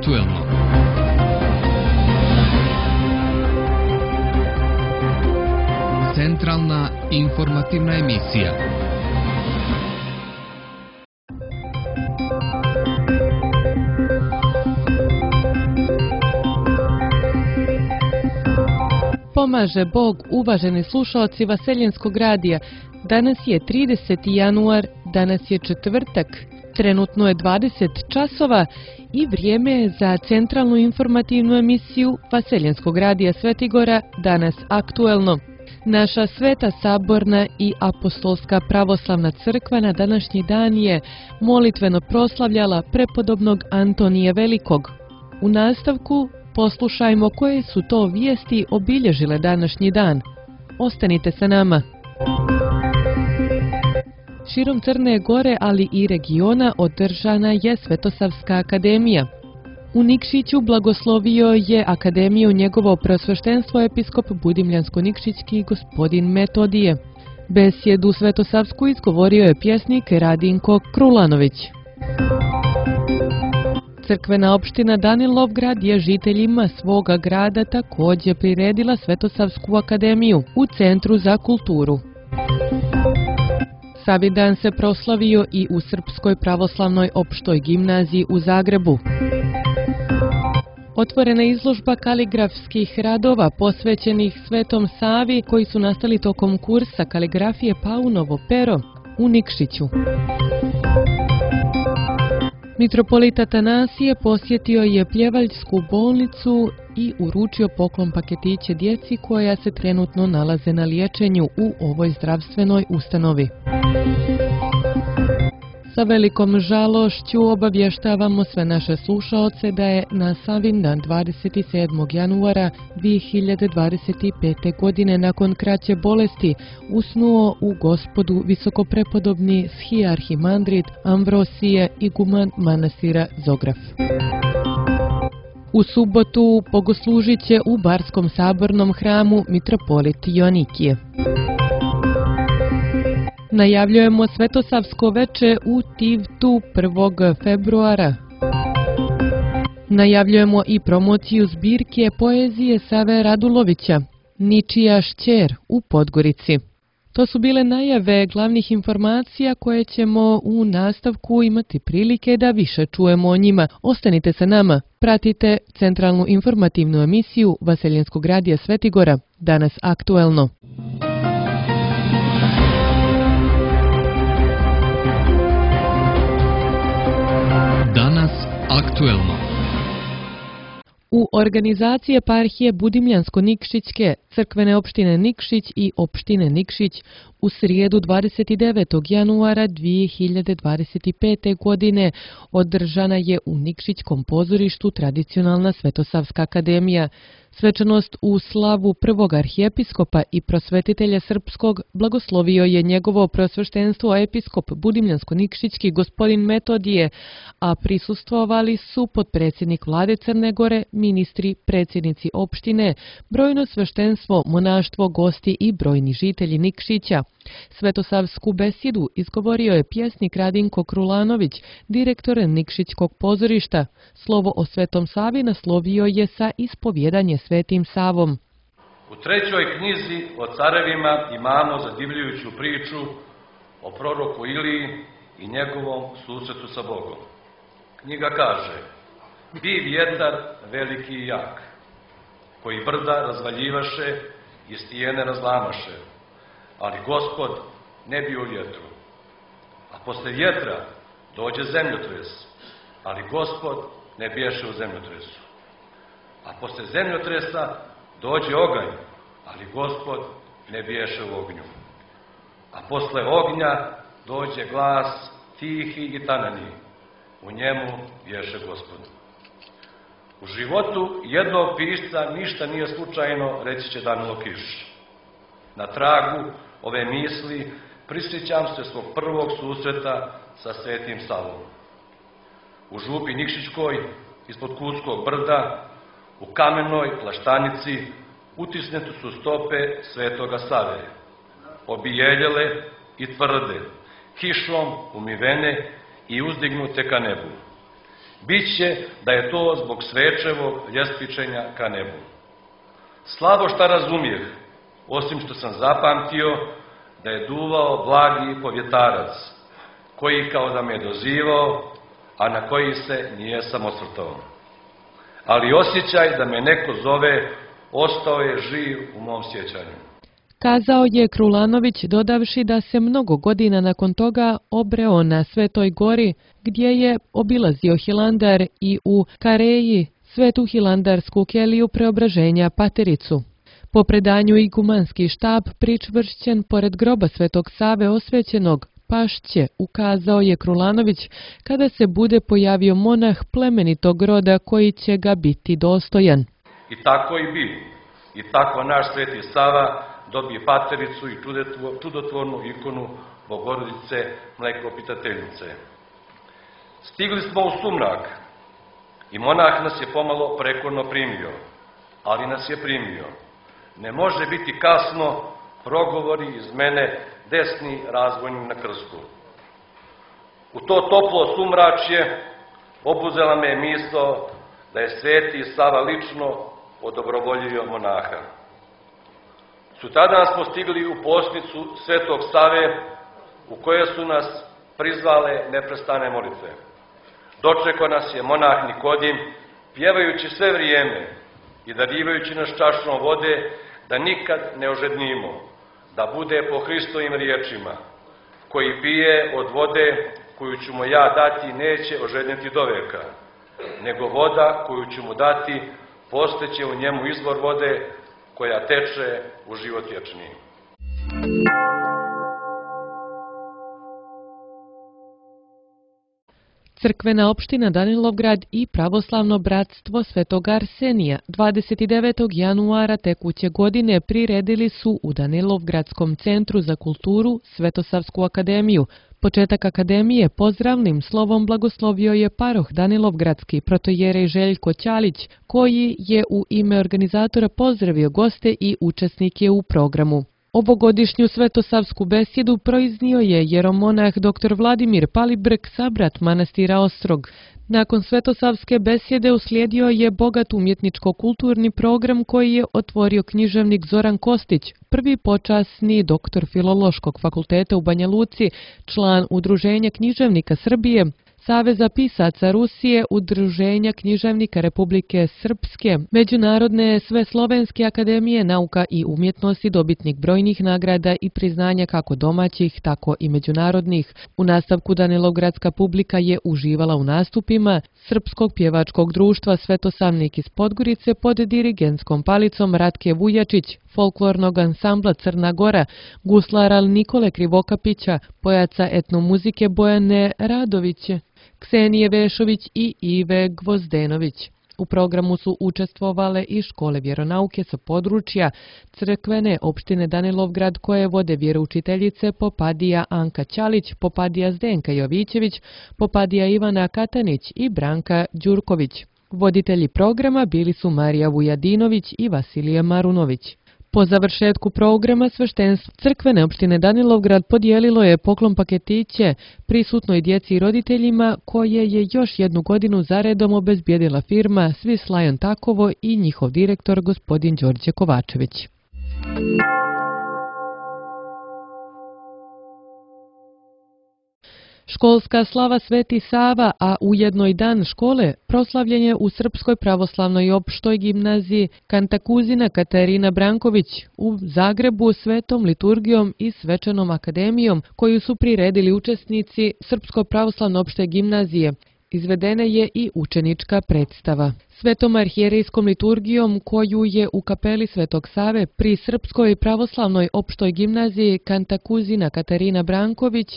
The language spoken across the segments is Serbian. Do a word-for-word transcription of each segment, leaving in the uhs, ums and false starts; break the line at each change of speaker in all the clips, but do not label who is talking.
aktuelno. Centralna informativna emisija.
Pomaže Bog, uvaženi slušaoci Vaseljenskog radija. Danas je trideseti januar, danas je četvrtak, trenutno je dvadeset časova i vrijeme je za centralnu informativnu emisiju Vaseljenskog radija Svetigora, danas aktuelno. Naša Sveta Saborna i Apostolska pravoslavna crkva na današnji dan je molitveno proslavljala prepodobnog Antonija Velikog. U nastavku poslušajmo koje su to vijesti obilježile današnji dan. Ostanite sa nama. Širom Crne Gore, ali i regiona, održana je Svetosavska akademija. U Nikšiću blagoslovio je akademiju njegovo preosveštenstvo episkop Budimljansko-Nikšićki gospodin Metodije. Besjedu Svetosavsku izgovorio je pjesnik Radinko Krulanović. Crkvena opština Danilovgrad je žiteljima svoga grada također priredila Svetosavsku akademiju u Centru za kulturu. Savidan se proslavio i u Srpskoj pravoslavnoj opštoj gimnaziji u Zagrebu. Otvorena izložba kaligrafskih radova posvećenih Svetom Savi koji su nastali tokom kursa kaligrafije Paunovo pero u Nikšiću. Mitropolit Atanasije posjetio je Pljevaljsku bolnicu i uručio poklon paketiće djeci koja se trenutno nalaze na liječenju u ovoj zdravstvenoj ustanovi. Sa velikom žalošću obavještavamo sve naše slušaoce da je na Savindan dvadeset sedmog januara dvije hiljade dvadeset pete. godine nakon kraće bolesti usnuo u Gospodu visokoprepodobni schiarhimandrit Amvrosije iguman manastira Zograf. U subotu bogoslužit će u Barskom sabornom hramu mitropolit Joanikije. Najavljujemo Svetosavsko veče u Tivtu prvog februara. Najavljujemo i promociju zbirke poezije Save Radulovića, Ničija šćer u Podgorici. To su bile najave glavnih informacija koje ćemo u nastavku imati prilike da više čujemo o njima. Ostanite sa nama, pratite centralnu informativnu emisiju Vaseljenskog radija Svetigora, danas aktuelno.
Danas aktuelno.
U organizaciji eparhije Budimljansko-Nikšićke, crkvene opštine Nikšić i opštine Nikšić u srijedu dvadeset devetog januara dvije hiljade dvadeset pete. godine održana je u Nikšićkom pozorištu tradicionalna Svetosavska akademija. Svečanost u slavu prvog arhijepiskopa i prosvetitelja srpskog blagoslovio je njegovo preosveštenstvo episkop Budimljansko-Nikšićki gospodin Metodije, a prisustvovali su potpredsjednik vlade Crne Gore, ministri, predsjednici opštine, brojno sveštenstvo, monaštvo, gosti i brojni žitelji Nikšića. Svetosavsku besjedu izgovorio je pjesnik Radinko Krulanović, direktor Nikšićkog pozorišta. Slovo o Svetom Savi naslovio je sa ispovjedanje Svetim Savom.
U trećoj knjizi o carevima imamo zadivljujuću priču o proroku Iliji i njegovom susretu sa Bogom. Knjiga kaže: bi vjetar veliki i jak, koji brda razvaljivaše i stijene razlamaše, ali Gospod ne bio u vjetru. A posle vjetra dođe zemljotres, ali Gospod ne biješe u zemljotresu. A posle zemljotresa dođe oganj, ali Gospod ne biješe u ognju. A posle ognja dođe glas tihi i tanani, u njemu biješe Gospod. U životu jednog pisca ništa nije slučajno, reći će Danilo Kiš. Na tragu ove misli prisjećam se svog prvog susreta sa Svetim Savom. U župi Nikšićkoj, ispod Kuskog brda, u kamenoj plaštanici, utisnete su stope Svetoga Save, obijeljele i tvrde, kišom umivene i uzdignute ka nebu. Biće da je to zbog svečevog ljestvičenja ka nebu. Slabo šta razumijeh, osim što sam zapamtio da je duvao blagi povjetarac, koji kao da me je dozivao, a na koji se nijesam osvrtao. Ali osjećaj da me neko zove ostao je živ u mom sjećanju.
Kazao je Krulanović, dodavši da se mnogo godina nakon toga obreo na Svetoj gori, gdje je obilazio Hilandar i u Kareji, svetu hilandarsku keliju Preobraženja Patericu. Po predanju igumanski štab pričvršćen pored groba Svetog Save osvećenog pašće, ukazao je Krulanović, kada se bude pojavio monah plemenitog roda koji će ga biti dostojan.
I tako i bi. I tako naš Sveti Sava dobije Patericu i čudotvornu ikonu Bogorodice Mlekopitateljice. Stigli smo u sumrak i monah nas je pomalo prekorno primio, ali nas je primio. Ne može biti kasno, progovori iz mene desni razvojnim na krstu. U to toplo sumračje obuzela me je misao da je Sveti Sava lično odobrovoljio monaha. Sutradan smo stigli u posnicu Svetog Save, u koje su nas prizvale neprestane molitve. Dočekao nas je monah Nikodim, pjevajući sve vrijeme i darivajući nas čašom vode, da nikad ne ožednimo, da bude po Hristovim riječima, koji pije od vode koju ću mu ja dati neće ožednjeti do veka, nego voda koju ću mu dati posteće u njemu izvor vode koja teče u život vječni.
Crkvena opština Danilovgrad i Pravoslavno bratstvo Svetog Arsenija dvadeset devetog januara tekuće godine priredili su u Danilovgradskom centru za kulturu Svetosavsku akademiju. Početak akademije pozdravnim slovom blagoslovio je paroh Danilovgradski protojerej Željko Ćalić, koji je u ime organizatora pozdravio goste i učesnike u programu. Ovogodišnju svetosavsku besjedu proiznio je jeromonah dr Vladimir Palibrk, sabrat manastira Ostrog. Nakon svetosavske besjede uslijedio je bogat umjetničko-kulturni program koji je otvorio književnik Zoran Kostić, prvi počasni doktor Filološkog fakulteta u Banja Luci, član Udruženja književnika Srbije, Saveza pisaca Rusije, Udruženja književnika Republike Srpske, Međunarodne Sveslovenske akademije nauka i umjetnosti, dobitnik brojnih nagrada i priznanja kako domaćih, tako i međunarodnih. U nastavku Danilovgradska publika je uživala u nastupima Srpskog pjevačkog društva Svetosavnik iz Podgorice pod dirigentskom palicom Ratke Vujačić, folklornog ansambla Crna Gora, guslara Nikole Krivokapića, pojaca etnomuzike Bojane Radoviće, Ksenije Vešović i Ive Gvozdenović. U programu su učestvovale i škole vjeronauke sa područja crkvene opštine Danilovgrad koje vode vjeroučiteljice Popadija Anka Ćalić, Popadija Zdenka Jovićević, Popadija Ivana Katanić i Branka Đurković. Voditelji programa bili su Marija Vujadinović i Vasilije Marunović. Po završetku programa sveštenstvo crkvene opštine Danilovgrad podijelilo je poklon paketiće prisutnoj djeci i roditeljima koje je još jednu godinu zaredom obezbijedila firma Swiss Lion Takovo i njihov direktor gospodin Đorđe Kovačević. Školska slava Sveti Sava, a ujedno i dan škole, proslavljen je u Srpskoj pravoslavnoj opštoj gimnaziji Kantakuzina Katarina Branković u Zagrebu svetom liturgijom i svečanom akademijom koju su priredili učesnici Srpsko pravoslavno opšte gimnazije. Izvedena je i učenička predstava. Svetom arhijerejskom liturgijom koju je u kapeli Svetog Save pri Srpskoj pravoslavnoj opštoj gimnaziji Kantakuzina Katarina Branković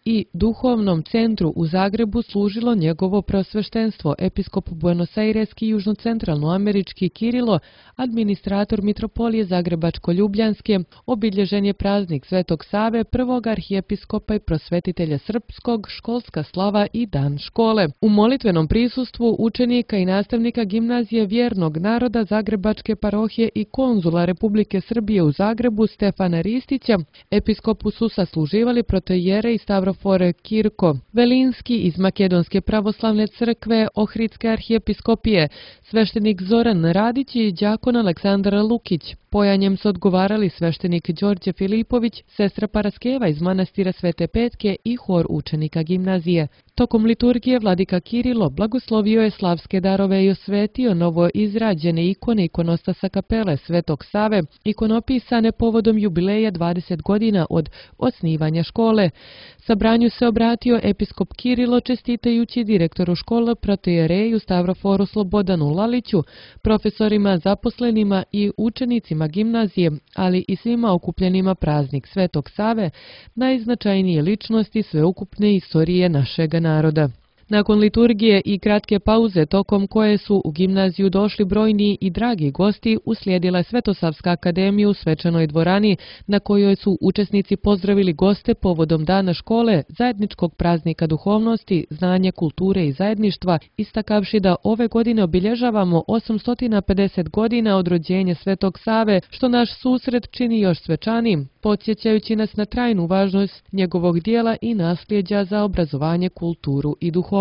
i duhovnom centru u Zagrebu služilo njegovo prosveštenstvo, episkop Buenos-Aireski južnocentralnoamerički Kirilo, administrator mitropolije Zagrebačko-Ljubljanske, obilježen je praznik Svetog Save, prvog arhijepiskopa i prosvetitelja srpskog, školska slava i dan škole. U molitvenom prisustvu učenika i nastavnika učenika Gimnazije vjernog naroda Zagrebačke parohije i konzula Republike Srbije u Zagrebu Stefana Ristića, episkopu su sasluživali protoijerej Stavrofor Kirko Velinski iz Makedonske pravoslavne crkve Ohridske arhijepiskopije, sveštenik Zoran Radić i đakon Aleksandar Lukić. Pojanjem su odgovarali sveštenik Đorđe Filipović, sestra Paraskeva iz manastira Svete Petke i hor učenika gimnazije. Tokom liturgije vladika Kirilo blagoslovio je slavske darove i osvetio novo izrađene ikone ikonostasa kapele Svetog Save, ikonopisane povodom jubileja dvadeset godina od osnivanja škole. Sabranju se obratio episkop Kirilo čestitajući direktoru škole protoijereju Stavroforu Slobodanu Laliću, profesorima, zaposlenima i učenicima gimnazije, ali i svima okupljenima praznik Svetog Save, najznačajnije ličnosti sveukupne istorije našega naroda. Nakon liturgije i kratke pauze tokom koje su u gimnaziju došli brojni i dragi gosti, uslijedila je Svetosavska akademija u svečanoj dvorani na kojoj su učesnici pozdravili goste povodom dana škole, zajedničkog praznika duhovnosti, znanja, kulture i zajedništva, istakavši da ove godine obilježavamo osamsto pedeset godina od rođenja Svetog Save, što naš susret čini još svečanijim, podsjećajući nas na trajnu važnost njegovog dijela i nasljeđa za obrazovanje, kulturu i duhovnost.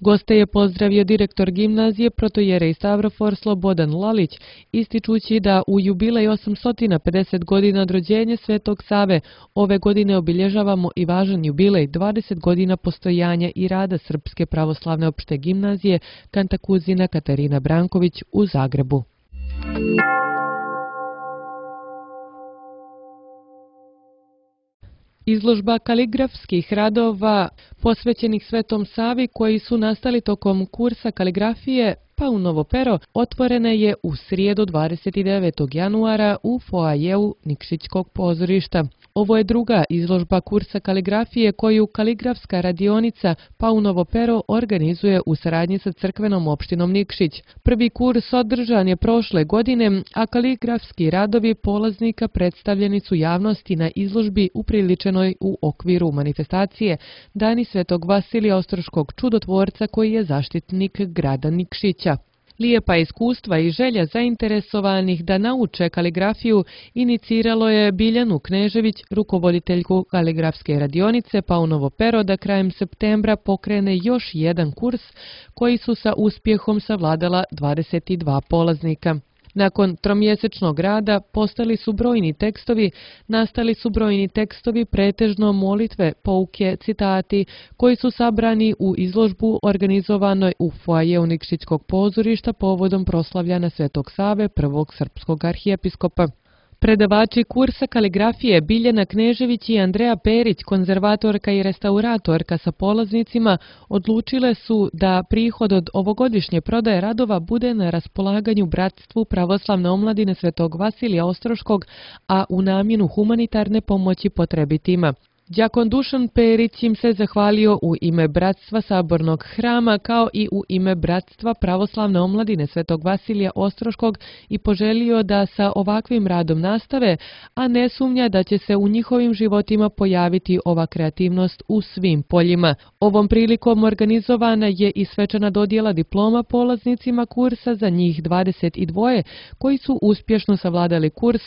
Goste je pozdravio direktor gimnazije protoijerej Stavrofor Slobodan Lalić, ističući da u jubilej osamsto pedeset godina od rođenja Svetog Save ove godine obilježavamo i važan jubilej dvadeset godina postojanja i rada Srpske pravoslavne opšte gimnazije Kantakuzina Katarina Branković u Zagrebu. Izložba kaligrafskih radova posvećenih Svetom Savi koji su nastali tokom kursa kaligrafije Paunovo pero otvorena je u srijedu dvadeset devetog januara u foajeu Nikšićkog pozorišta. Ovo je druga izložba kursa kaligrafije koju kaligrafska radionica Paunovo pero organizuje u saradnji sa crkvenom opštinom Nikšić. Prvi kurs održan je prošle godine, a kaligrafski radovi polaznika predstavljeni su javnosti na izložbi upriličenoj u okviru manifestacije Dani Svetog Vasilija Ostroškog čudotvorca koji je zaštitnik grada Nikšića. Lijepa iskustva i želja zainteresovanih da nauče kaligrafiju iniciralo je Biljanu Knežević, rukovoditeljku kaligrafske radionice Paunovo pero, da krajem septembra pokrene još jedan kurs koji su sa uspjehom savladala dvadeset dva polaznika. Nakon tromjesečnog rada postali su brojni tekstovi, nastali su brojni tekstovi, pretežno molitve, pouke, citati, koji su sabrani u izložbu organizovanoj u foajeu Nikšićkog pozorišta povodom proslavljanja Svetog Save, prvog srpskog arhijepiskopa. Predavači kursa kaligrafije Biljana Knežević i Andreja Perić, konzervatorka i restauratorka sa polaznicima, odlučile su da prihod od ovogodišnje prodaje radova bude na raspolaganju Bratstvu pravoslavne omladine Svetog Vasilija Ostroškog, a u namjenu humanitarne pomoći potrebitima. Đakon Dušan Perić im se zahvalio u ime Bratstva Sabornog hrama kao i u ime Bratstva pravoslavne omladine Svetog Vasilija Ostroškog i poželio da sa ovakvim radom nastave, a ne sumnja da će se u njihovim životima pojaviti ova kreativnost u svim poljima. Ovom prilikom organizovana je i svečana dodjela diploma polaznicima kursa za njih dvadeset dva koji su uspješno savladali kurs,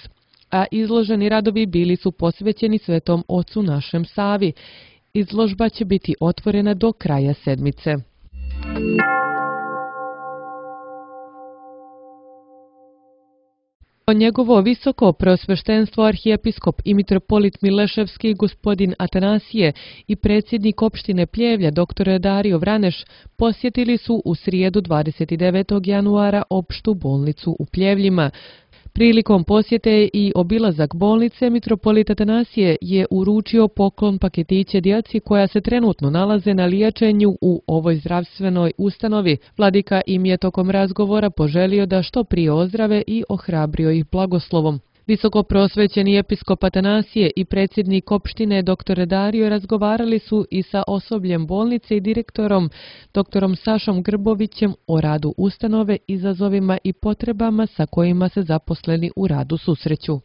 a izloženi radovi bili su posvećeni Svetom Ocu našem Savi. Izložba će biti otvorena do kraja sedmice. Njegovo visoko preosveštenstvo arhijepiskop i mitropolit Mileševski gospodin Atanasije i predsjednik opštine Pljevlja dr. Dario Vraneš posjetili su u srijedu dvadeset devetog januara opštu bolnicu u Pljevljima. Prilikom posjete i obilazak bolnice, mitropolit Atanasije je uručio poklon paketiće djeci koja se trenutno nalaze na liječenju u ovoj zdravstvenoj ustanovi. Vladika im je tokom razgovora poželio da što prije ozdrave i ohrabrio ih blagoslovom. Visoko prosvećeni episkop Atanasije i predsjednik opštine dr. Dario razgovarali su i sa osobljem bolnice i direktorom dr. Sašom Grbovićem o radu ustanove, izazovima i potrebama sa kojima se zaposleni u radu susreću.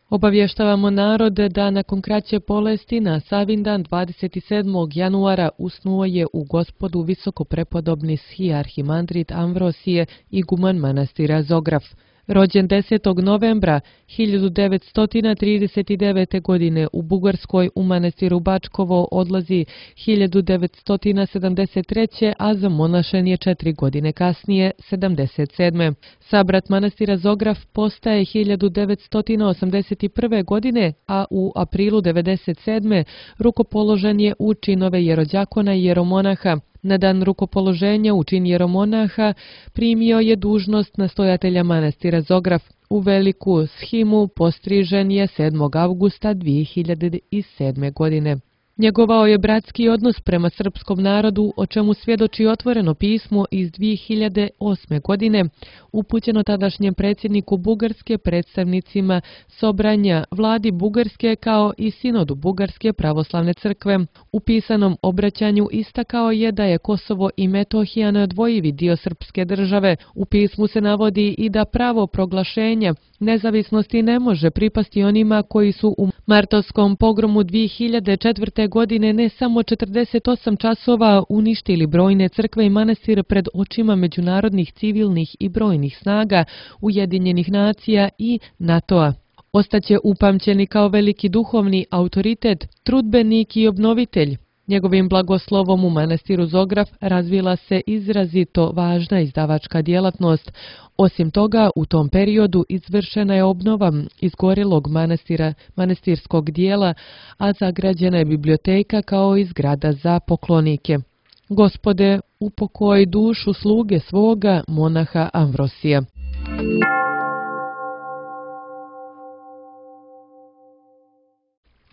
Obavještavamo narode da nakon kraće bolesti na Savindan dvadeset sedmog januara usnuo je u Gospodu visoko prepodobni arhimandrit Amvrosije, iguman manastira Zograf. Rođen desetog novembra hiljadu devetsto trideset devete. godine u Bugarskoj u manastiru Bačkovo, odlazi hiljadu devetsto sedamdeset treće. a zamonašen je četiri godine kasnije, sedamdeset sedme. Sabrat manastira Zograf postaje hiljadu devetsto osamdeset prve. godine, a u aprilu devedeset sedme. rukopoložen je u činove jerođakona i jeromonaha. Na dan rukopoloženja u čin jeromonaha primio je dužnost nastojatelja manastira Zograf. U veliku shimu postrižen je sedmog avgusta dvije hiljade sedme. godine. Njegovao je bratski odnos prema srpskom narodu, o čemu svjedoči otvoreno pismo iz dvije hiljade osme. godine, upućeno tadašnjem predsjedniku Bugarske, predstavnicima Sobranja, vladi Bugarske kao i sinodu Bugarske pravoslavne crkve. U pisanom obraćanju istakao je da je Kosovo i Metohija neodvojivi dio srpske države. U pismu se navodi i da pravo proglašenja nezavisnosti ne može pripasti onima koji su u martovskom pogromu dvije hiljade četvrte. godine ne samo četrdeset osam časova uništili brojne crkve i manastire pred očima međunarodnih civilnih i brojnih snaga Ujedinjenih nacija i NATO-a. Ostaće upamćeni kao veliki duhovni autoritet, trudbenik i obnovitelj. Njegovim blagoslovom u manastiru Zograf razvila se izrazito važna izdavačka djelatnost. Osim toga, u tom periodu izvršena je obnova izgorjelog manastira, manastirskog dijela, a zagrađena je biblioteka kao i zgrada za poklonike. Gospode, upokoj dušu sluge svoga, monaha Amvrosija.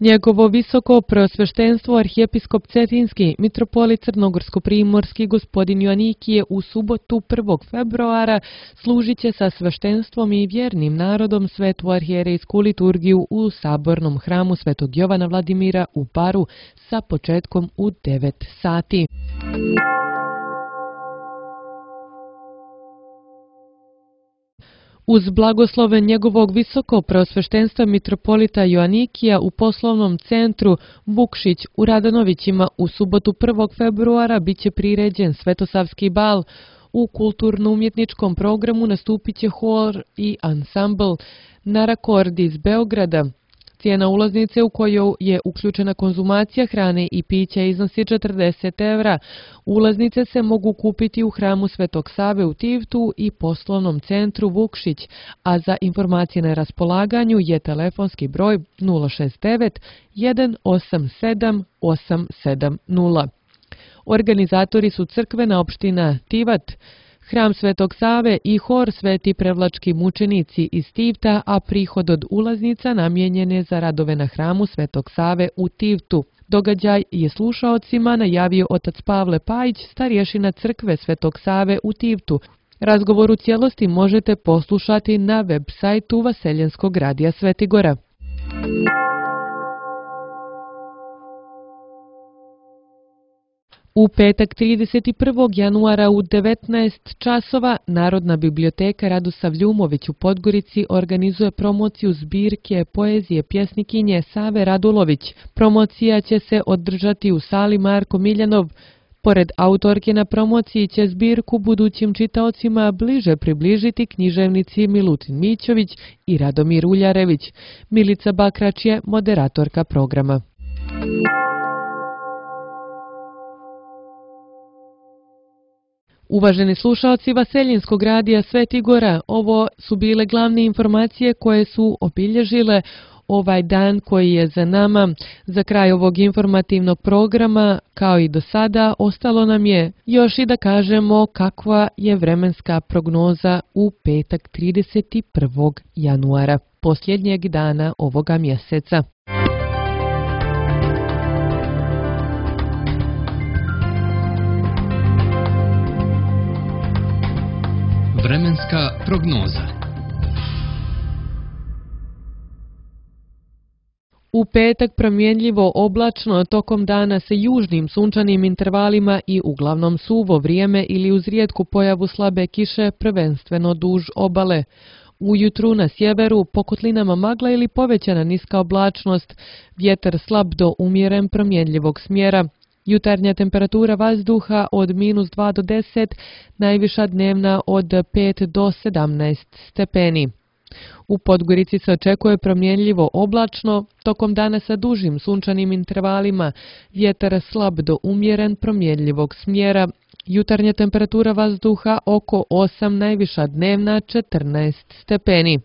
Njegovo visoko preosveštenstvo arhijepiskop Cetinski, mitropolit crnogorsko-primorski gospodin Joanikije u subotu prvog februara služit će sa sveštenstvom i vjernim narodom svetu arhijerejsku liturgiju u sabornom hramu Svetog Jovana Vladimira u Baru sa početkom u devet sati. Uz blagoslove njegovog visoko preosveštenstva mitropolita Joanikija u poslovnom centru Vukšić u Radanovićima u subotu prvog februara bit će priređen Svetosavski bal. U kulturno-umjetničkom programu nastupit će hor i ansambl Narakord iz Beograda. Cijena ulaznice u koju je uključena konzumacija hrane i pića iznosi četrdeset evra. Ulaznice se mogu kupiti u hramu Svetog Save u Tivtu i poslovnom centru Vukšić, a za informacije na raspolaganju je telefonski broj nula šest devet jedan osam sedam osam sedam nula. Organizatori su crkvena opština Tivat, Hram Svetog Save i hor Sveti Prevlački mučenici iz Tivta, a prihod od ulaznica namijenjen je za radove na hramu Svetog Save u Tivtu. Događaj je slušaocima najavio otac Pavle Pajić, starješina crkve Svetog Save u Tivtu. Razgovor u cijelosti možete poslušati na web sajtu Vaseljenskog radija Svetigora. U petak trideset prvog januara u devetnaest časova Narodna biblioteka Radosav Ljumović u Podgorici organizuje promociju zbirke poezije pjesnikinje Save Radulović. Promocija će se održati u sali Marko Miljanov. Pored autorke na promociji će zbirku budućim čitaocima bliže približiti književnici Milutin Mićović i Radomir Uljarević. Milica Bakrač je moderatorka programa. Uvaženi slušalci Vaseljenskog radija Svetigora, ovo su bile glavne informacije koje su obilježile ovaj dan koji je za nama. Za kraj ovog informativnog programa, kao i do sada, ostalo nam je još i da kažemo kakva je vremenska prognoza u petak trideset prvog januara, posljednjeg dana ovoga mjeseca.
Vremenska prognoza.
U petak promjenljivo oblačno, tokom dana sa južnim sunčanim intervalima i uglavnom suvo vrijeme ili uz rijetku pojavu slabe kiše, prvenstveno duž obale. Ujutru na sjeveru po kotlinama magla ili povećana niska oblačnost, vjetar slab do umjeren promjenljivog smjera. Jutarnja temperatura vazduha od minus dva do deset, najviša dnevna od pet do sedamnaest stepeni. U Podgorici se očekuje promjenljivo oblačno, tokom dana sa dužim sunčanim intervalima, vjetar slab do umjeren promjenljivog smjera. Jutarnja temperatura vazduha oko osam, najviša dnevna četrnaest stepeni.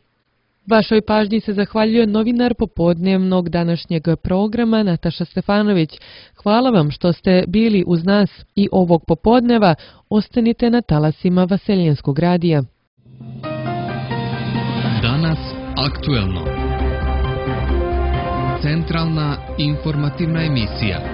Vašoj pažnji se zahvaljuje novinar popodnevnog današnjeg programa Nataša Stefanović. Hvala vam što ste bili uz nas i ovog popodneva. Ostanite na talasima Vaseljenskog radija.
Danas aktuelno. Centralna informativna emisija.